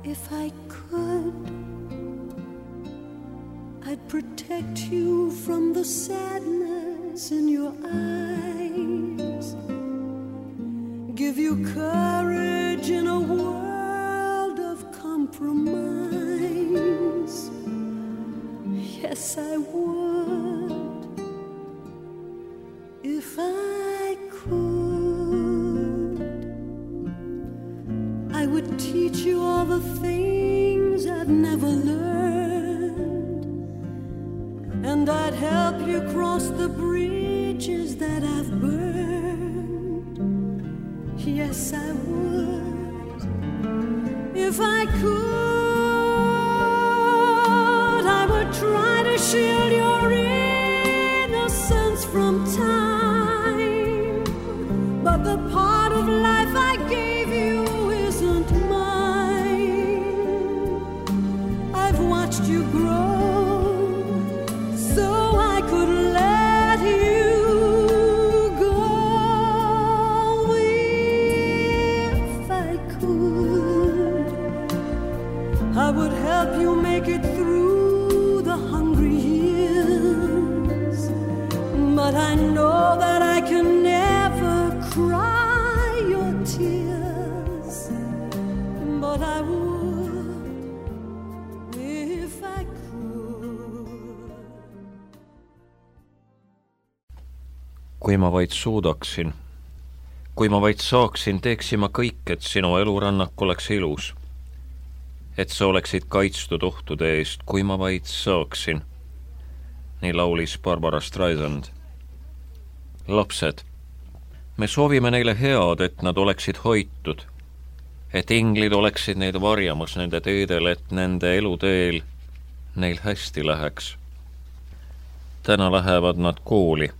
If I could, I'd protect you from the sadness in your eyes, give you courage in a world of compromise. Yes, I would, if I could. I would teach you all the things I've never learned, and I'd help you cross the bridges that I've burned. Yes, I would, if I could. I would try to shield your innocence from time, but the part of life I gave you isn't mine. I've watched you grow so I could let you go. If I could, I would help you make it through the hungry years, but I know that I can never cry your tears, but I would if I could. Kui ma vaid suudaksin, kui ma vaid saaksin, teeksin ma kõik, et sinu elurannak oleks ilus, et sa oleksid kaitstud ohtude eest, kui ma vaid saaksin. Nii laulis Barbara Streisand. Lapsed, me soovime neile head, et nad oleksid hoitud, et inglid oleksid neid varjamas nende teedel, et nende eluteel neil hästi läheks. Täna lähevad nad kooli.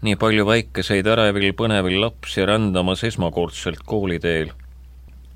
Nii palju väikeseid ärevil põnevil lapsi rändamas esmakordselt kooliteel.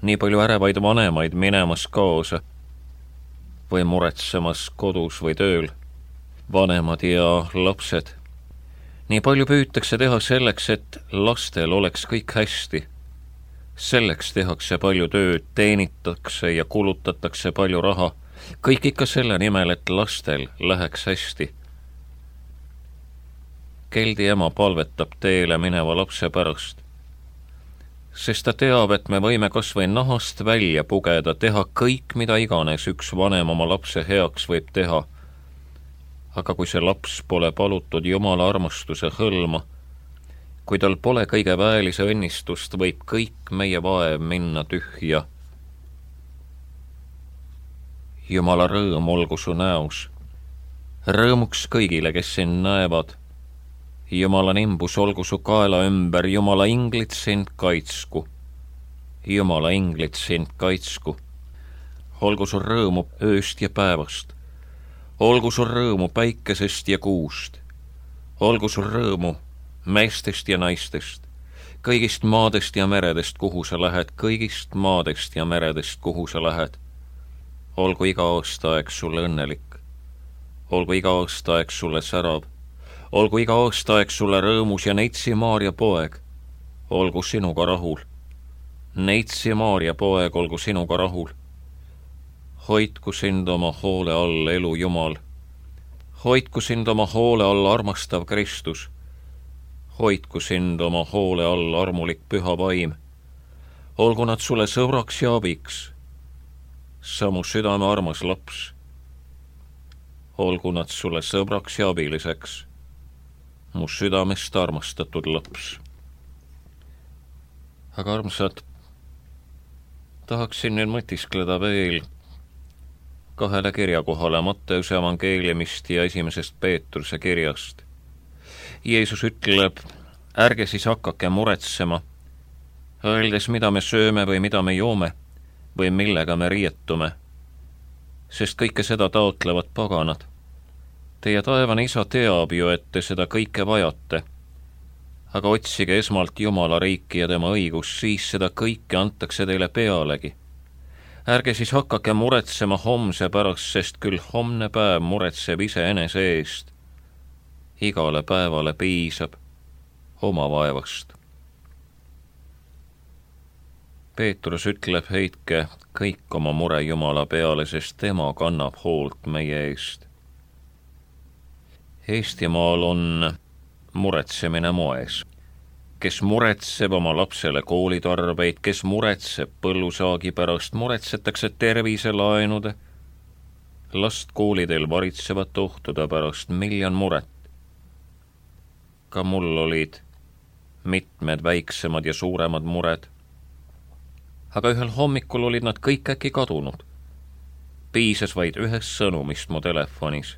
Nii palju ärevaid vanemaid minemas kaasa või muretsemas kodus või tööl. Vanemad ja lapsed. Nii palju püütakse teha selleks, et lastel oleks kõik hästi. Selleks tehakse palju tööd, teenitakse ja kulutatakse palju raha. Kõik ikka selle nimel, et lastel läheks hästi. Keldi ema palvetab teele mineva lapse pärast, sest ta teab, et me võime kas või nahast välja pugeda, teha kõik, mida iganes üks vanem oma lapse heaks võib teha. Aga kui see laps pole palutud Jumala armastuse hõlma, kui tal pole kõige väelise õnnistust, võib kõik meie vaev minna tühja. Jumala rõõm olgu su näos, rõõmuks kõigile, kes sind näevad. Jumala nimbus olgu su kaela ümber, Jumala inglid sind kaitsku. Jumala inglid sind kaitsku. Olgu su rõõmu ööst ja päevast. Olgu su rõõmu päikesest ja kuust. Olgu su rõõmu meestest ja naistest. Kõigist maadest ja meredest, kuhu sa lähed. Kõigist maadest ja meredest, kuhu sa lähed. Olgu iga aastaaeg sulle õnnelik. Olgu iga aastaaeg sulle särav. Olgu iga aastaaeg sulle rõõmus ja Neitsi Maarja poeg, olgu sinuga rahul. Neitsi Maarja poeg, olgu sinuga rahul. Hoidku sind oma hoole all, elu Jumal. Hoidku sind oma hoole all, armastav Kristus. Hoidku sind oma hoole all, armulik püha vaim. Olgu nad sulle sõbraks ja abiks. Sa mu südame armas laps. Olgu nad sulle sõbraks ja abiliseks. Mu südamest armastatud laps. Aga armsad, tahaksin nüüd mõtiskleda veel kahele kirjakohale Matteuse evangeeliumist ja 1. Peetruse kirjast. Jeesus ütleb, ärge siis hakake muretsema, öeldes, mida me sööme või mida me joome või millega me riietume, sest kõike seda taotlevad paganad. Teie taevane isa teab ju, et te seda kõike vajate, aga otsige esmalt Jumala riiki ja tema õigus, siis seda kõike antakse teile pealegi. Ärge siis hakake muretsema homse pärast, sest küll homne päev muretseb iseenese eest. Igale päevale piisab oma vaevast. Peetrus ütleb, heitke kõik oma mure Jumala peale, sest tema kannab hoolt meie eest. Eestimaal on muretsemine moes. Kes muretseb oma lapsele koolitarbeid, kes muretseb põllusaagi pärast, muretsetakse terviselaenude, last koolidel varitsevat ohtude pärast, miljon muret. Ka mul olid mitmed väiksemad ja suuremad mured, aga ühel hommikul olid nad kõik äkki kadunud. Piisas vaid ühest sõnumist mu telefonis.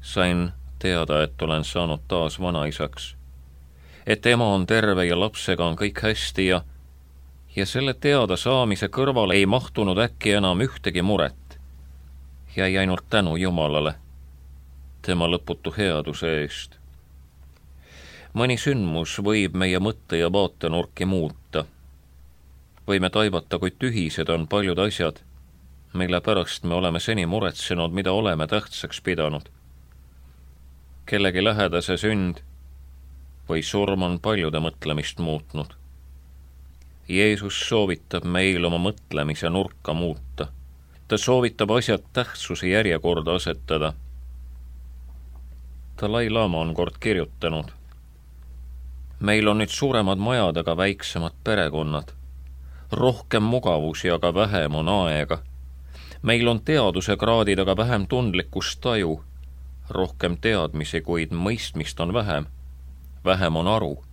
Sain teada, et olen saanud taas vanaisaks, et ema on terve ja lapsega on kõik hästi ja selle teada saamise kõrval ei mahtunud äkki enam ühtegi muret. Jäi ainult tänu Jumalale, tema lõputu headuse eest. Mõni sündmus võib meie mõtte ja vaatenurki muuta. Võime taibata, kui tühised on paljud asjad, mille pärast me oleme seni muretsenud, mida oleme tähtsaks pidanud. Kellegi lähedase sünd või surm on paljude mõtlemist muutnud. Jeesus soovitab meil oma mõtlemise nurka muuta. Ta soovitab asjad tähtsuse järjekorda asetada. Dalai Lama on kord kirjutanud: meil on nüüd suuremad majad, aga väiksemad perekonnad. Rohkem mugavusi, aga vähem on aega. Meil on teaduse kraadid, aga vähem tundlikkust taju. Rohkem teadmisi, kuid mõistmist on vähem. Vähem on aru.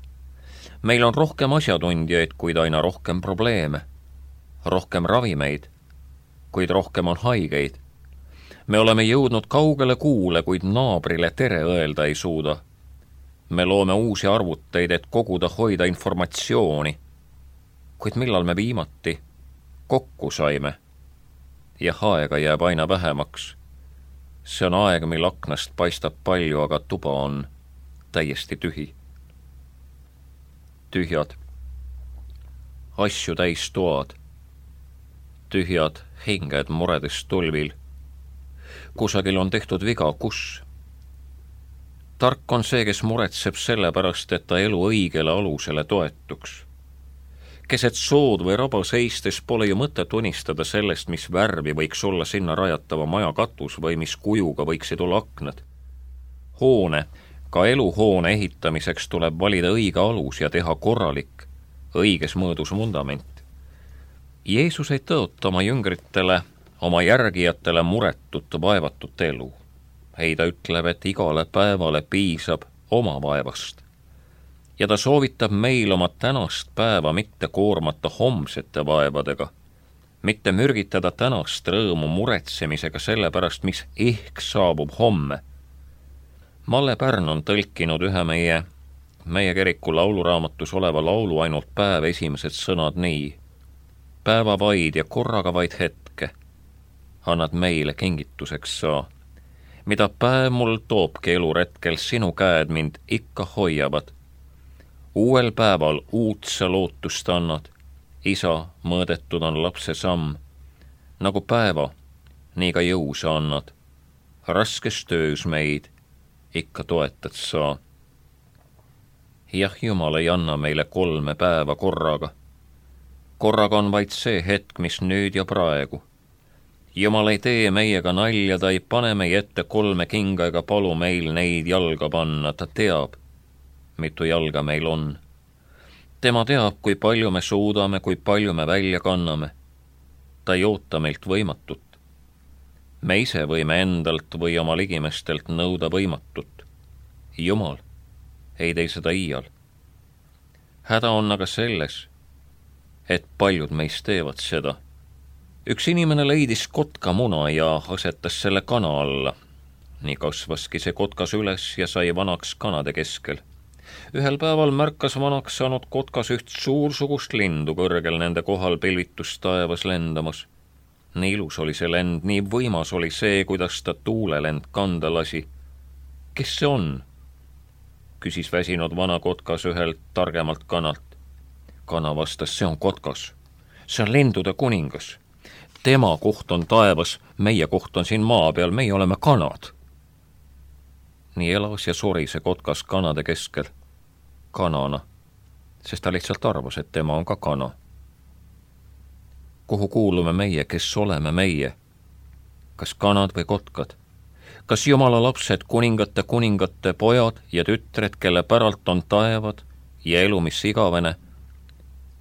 Meil on rohkem asjatundjaid, kuid aina rohkem probleeme. Rohkem ravimeid, kuid rohkem on haigeid. Me oleme jõudnud kaugele kuule, kuid naabrile tere öelda ei suuda. Me loome uusi arvuteid, et koguda hoida informatsiooni. Kuid millal me viimati kokku saime? Ja aega jääb aina vähemaks. See on aeg, mil aknast paistab palju, aga tuba on täiesti tühi. Tühjad, asju täis toad, tühjad hinged muredest tulvil. Kusagil on tehtud viga, kus? Tark on see, kes muretseb selle pärast, et ta elu õigele alusele toetuks. Keset sood või raba seistes pole ju mõtet unistada sellest, mis värvi võiks olla sinna rajatava maja katus või mis kujuga võiksid olla aknad. Hoone, ka eluhoone ehitamiseks tuleb valida õige alus ja teha korralik, õiges mõõdus vundament. Jeesus ei tõota oma jüngritele, oma järgijatele muretut, vaevatut elu. Ei, ta ütleb, et igale päevale piisab oma vaevast. Ja ta soovitab meil oma tänast päeva mitte koormata homsete vaevadega, mitte mürgitada tänast rõõmu muretsemisega selle pärast, mis ehk saabub homme. Malle Pärn on tõlkinud ühe meie kiriku lauluraamatus oleva laulu Ainult päev esimesed sõnad nii: päeva vaid ja korraga vaid hetke annad meile kingituseks saa, mida päev mul toobki eluretkel, sinu käed mind ikka hoiavad. Uuel päeval uut sa lootust annad, isa, mõõdetud on lapse samm. Nagu päeva, nii ka jõu sa annad. Raskes töös meid ikka toetad sa. Jah, Jumal ei anna meile 3 päeva korraga. Korraga on vaid see hetk, mis nüüd ja praegu. Jumal ei tee meiega nalja, ta ei pane meie ette 3 kinga ega palu meil neid jalga panna, ta teab, mitu jalga meil on. Tema teab, kui palju me suudame, kui palju me välja kanname. Ta ei oota meilt võimatut. Me ise võime endalt või oma ligimestelt nõuda võimatut. Jumal ei tee seda iial. Häda on aga selles, et paljud meist teevad seda. Üks inimene leidis kotkamuna ja asetas selle kana alla. Nii kasvaski see kotkas üles ja sai vanaks kanade keskel. Ühel päeval märkas vanaks saanud kotkas üht suursugust lindu kõrgel nende kohal pilvitus taevas lendamas. Nii ilus oli see lend, nii võimas oli see, kuidas ta tuulelend kanda lasi. Kes see on? Küsis väsinud vana kotkas ühelt targemalt kanalt. Kana vastas, see on kotkas. See on lindude kuningas. Tema koht on taevas, meie koht on siin maa peal, meie oleme kanad. Nii elas ja suri see kotkas kanade keskel. Kanana, sest ta lihtsalt arvas, et tema on ka kana. kuhu kuulume meie, kes oleme meie? Kas kanad või kotkad? Kas Jumala lapsed, kuningate pojad ja tütred, kelle päralt on taevad ja elu, mis igavene,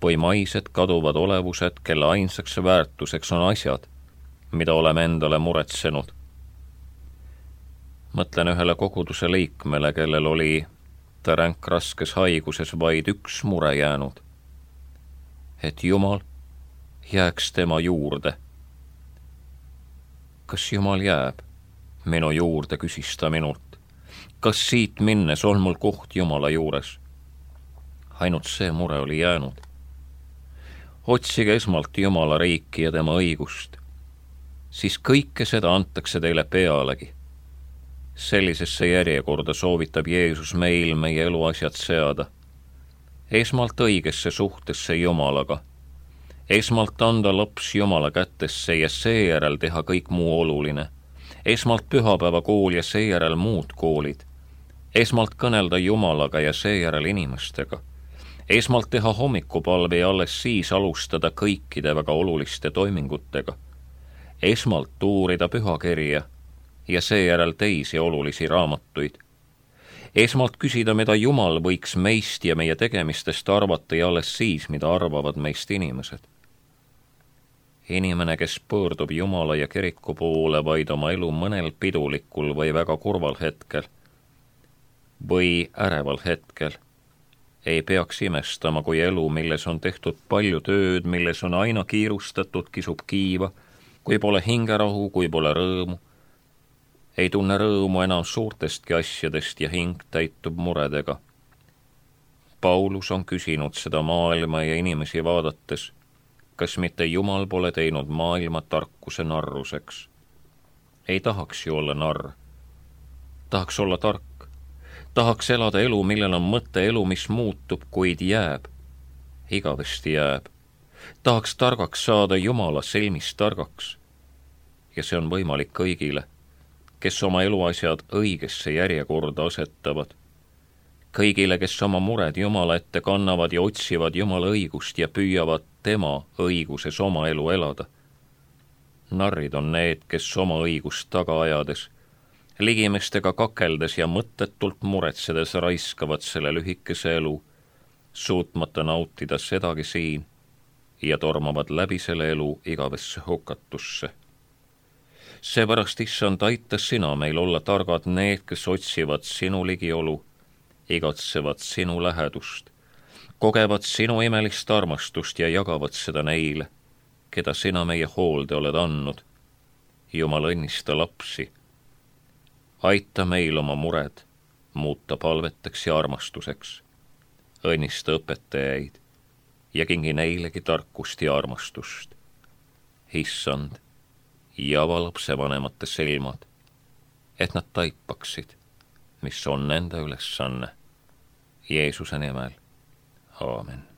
või maised kaduvad olevused, kelle ainsaks väärtuseks on asjad, mida oleme endale muretsenud? Mõtlen ühele koguduse liikmele, kellel oli ta ränkraskes haiguses vaid üks mure jäänud, et Jumal jääks tema juurde. Kas Jumal jääb minu juurde, küsis ta minult. Kas siit minnes on mul koht Jumala juures? Ainult see mure oli jäänud. Otsige esmalt Jumala riiki ja tema õigust, siis kõike seda antakse teile pealegi. Sellisesse järjekorda soovitab Jeesus meil meie eluasjad seada. Esmalt õigesse suhtesse Jumalaga. Esmalt anda laps Jumala kätesse ja seejärel teha kõik muu oluline. Esmalt pühapäevakool ja seejärel muud koolid. Esmalt kõnelda Jumalaga ja seejärel inimestega. Esmalt teha hommikupalve ja alles siis alustada kõikide väga oluliste toimingutega. Esmalt uurida pühakirja ja seejärel teisi olulisi raamatuid. Esmalt küsida, mida Jumal võiks meist ja meie tegemistest arvata ja alles siis, mida arvavad meist inimesed. Inimene, kes pöördub Jumala ja kiriku poole vaid oma elu mõnel pidulikul või väga kurval hetkel või äreval hetkel, ei peaks imestama, kui elu, milles on tehtud palju tööd, milles on aina kiirustatud, kisub kiiva, kui pole hingerahu, kui pole rõõmu, ei tunne rõõmu enam suurtestki asjadest ja hing täitub muredega. Paulus on küsinud seda maailma ja inimesi vaadates, kas mitte Jumal pole teinud maailma tarkuse narruseks. Ei tahaks ju olla narr. Tahaks olla tark. Tahaks elada elu, millel on mõte, elu, mis muutub, kuid jääb. Igavesti jääb. Tahaks targaks saada Jumala silmis targaks. Ja see on võimalik kõigile, kes oma eluasjad õigesse järjekorda asetavad. Kõigile, kes oma mured Jumala ette kannavad ja otsivad Jumala õigust ja püüavad tema õiguses oma elu elada. Narrid on need, kes oma õigust taga ajades, ligimestega kakeldes ja mõttetult muretsedes raiskavad selle lühikese elu, suutmata nautida sedagi siin ja tormavad läbi selle elu igavesse hukatusse. Seepärast, Issand, aita sina meil olla targad need, kes otsivad sinu ligiolu, igatsevad sinu lähedust, kogevad sinu imelist armastust ja jagavad seda neile, keda sina meie hoolde oled andnud. Jumal, õnnista lapsi. Aita meil oma mured muuta palveteks ja armastuseks. Õnnista õpetajaid ja kingi neilegi tarkust ja armastust. Issand, ja ava lapsevanemate silmad, et nad taipaksid, mis on nende ülesanne. Jeesuse nimel. Aamen.